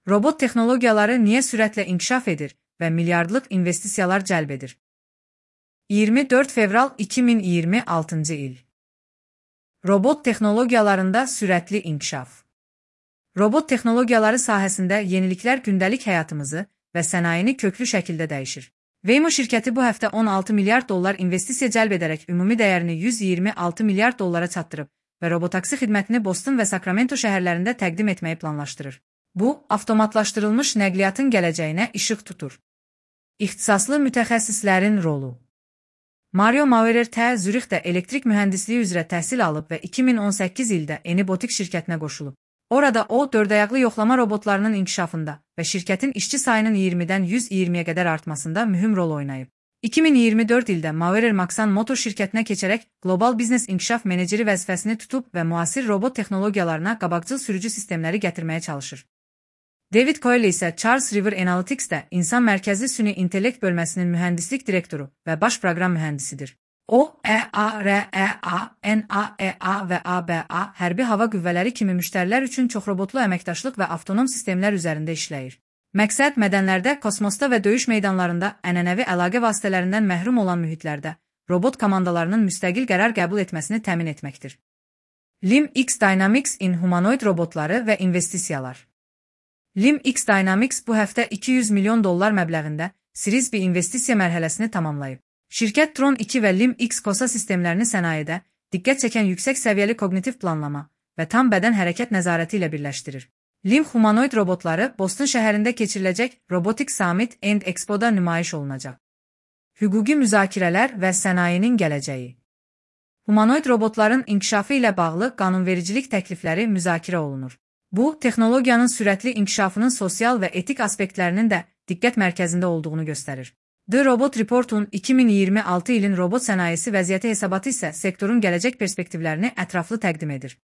Robot texnologiyaları niyə sürətlə inkişaf edir və milyardlıq investisiyalar cəlb edir? 24 fevral 2026 il. Robot texnologiyalarında sürətli inkişaf. Robot texnologiyaları sahəsində yeniliklər gündəlik həyatımızı və sənayeni köklü şəkildə dəyişir. Waymo şirkəti bu həftə 16 milyard dollar investisiya cəlb edərək ümumi dəyərini 126 milyard dollara çatdırıb və robotaksi xidmətini Boston və Sacramento şəhərlərində təqdim etməyi planlaşdırır. Bu, avtomatlaşdırılmış nəqliyyatın gələcəyinə işıq tutur. İxtisaslı mütəxəssislərin rolu. Mario Maurer Zürixdə elektrik mühəndisliyi üzrə təhsil alıb və 2018 ildə Enibotik şirkətinə qoşulub. Orada o, dördayaqlı yoxlama robotlarının inkişafında və şirkətin işçi sayının 20-dən 120-yə qədər artmasında mühüm rol oynayıb. 2024 ildə Maurer Maxan Motor şirkətinə keçərək qlobal biznes inkişaf meneceri vəzifəsini tutub və müasir robot texnologiyalarına qabaqcıl sürücü sistemləri gətirməyə çalışır. David Coyle isə Charles River Analytics'də insan mərkəzli süni intellekt bölməsinin mühəndislik direktoru və baş proqram mühəndisidir. O, EAREA, NAEA və ABA hərbi hava qüvvələri kimi müştərilər üçün çoxrobotlu əməkdaşlıq və avtonom sistemlər üzərində işləyir. Məqsəd mədənlərdə, kosmosda və döyüş meydanlarında ənənəvi əlaqə vasitələrindən məhrum olan mühitlərdə robot komandalarının müstəqil qərar qəbul etməsini təmin etməkdir. LIMX Dynamics in humanoid robotları və investisiyalar. LIMX Dynamics bu həftə 200 milyon dollar məbləğində Series B investisiya mərhələsini tamamlayıb. Şirkət Tron 2 və LIMX KOSA sistemlərini sənayedə diqqət çəkən yüksək səviyyəli kognitiv planlama və tam bədən hərəkət nəzarəti ilə birləşdirir. LIM humanoid robotları Boston şəhərində keçiriləcək Robotics Summit and Expo'da nümayiş olunacaq. Hüquqi müzakirələr və sənayenin gələcəyi. Humanoid robotların inkişafı ilə bağlı qanunvericilik təklifləri müzakirə olunur. Bu, texnologiyanın sürətli inkişafının sosial və etik aspektlərinin də diqqət mərkəzində olduğunu göstərir. The Robot Report'un 2026 ilin robot sənayesi vəziyyəti hesabatı isə sektorun gələcək perspektivlərini ətraflı təqdim edir.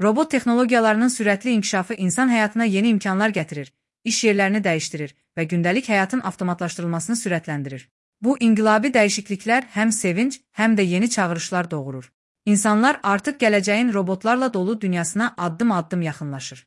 Robot texnologiyalarının sürətli inkişafı insan həyatına yeni imkanlar gətirir, iş yerlərini dəyişdirir və gündəlik həyatın avtomatlaşdırılmasını sürətləndirir. Bu inqilabi dəyişikliklər həm sevinc, həm də yeni çağırışlar doğurur. İnsanlar artıq gələcəyin robotlarla dolu dünyasına addım-addım yaxınlaşır.